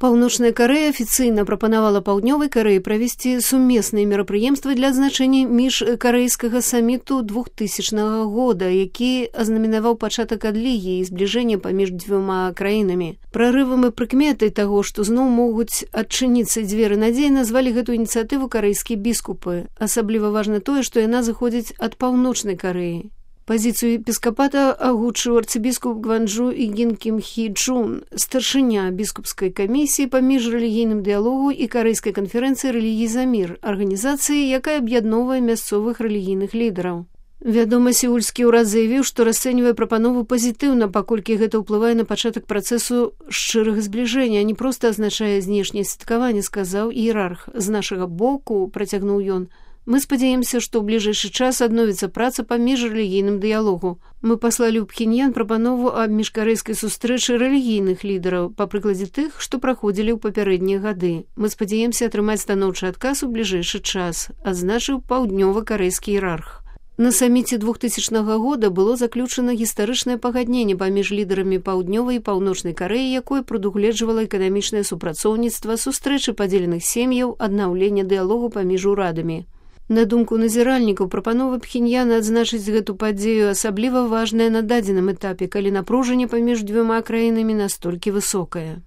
Паўночная Карэя афіцыйна прапанавала Паўднёвай Карэі правесці сумесныя мерапрыемствы для адзначэння міжкарэйскага саміту 2000 года, які азнаменаваў пачатак адлігі і збліжэння паміж дзвюма краінамі. Прарывам і прыкметай таго, што зноў могуць адчыніцца дзверы надзеі, назвалі гэту ініцыятыву карэйскія біскупы. Асабліва важна тое, што яна зыходзіць ад Паўночнай Карэі. Пазіцыю епіскапата агучыў арцыбіскуп Гванджу Ігін Кім Хі Чун, старшыня біскупскай камісіі па міжрэлігійным дыялогу і карэйскай канферэнцыі «Рэлігій за мір», арганізацыі, якая аб'ядноўвае мясцовых рэлігійных лідараў. Вядома, сеульскі ўрад заявіў, што расцэньвае прапанову пазітыўна, паколькі гэта ўплывае на пачатак працэсу шчырага збліжэння, а не проста азначае знешняе святкаванне, сказаў іерарх. З нашага боку, працягнуў ён, мы спадзяемся, што ў бліжэйшы час адновіцца праца па міжрэлігійным дыялогу. Мы паслалі ў Пхеньян прапанову аб міжкарэйскай сустрэчы рэлігійных лідараў, па прыкладзе тых, што праходзілі ў папярэднія гады. Мы спадзяемся атрымаць станоўчы адказ у бліжэйшы час, адзначыў паўднёва-карэйскі іерарх. На саміце 2000 года было заключана гістарычнае пагадненне паміж лідарамі Паўднёвай і Паўночнай Карэі, якое прадугледжвала эканамічнае супрацоўніцтва, сустрэчы падзеленых сем'яў, аднаўлення дыялогу паміж урадамі. На думку назіральнікаў, прапанова Пхеньяна адзначыць гэту падзею асабліва важная на дадзеным этапе, калі напружанне паміж дзвюма краінамі настолькі высокае.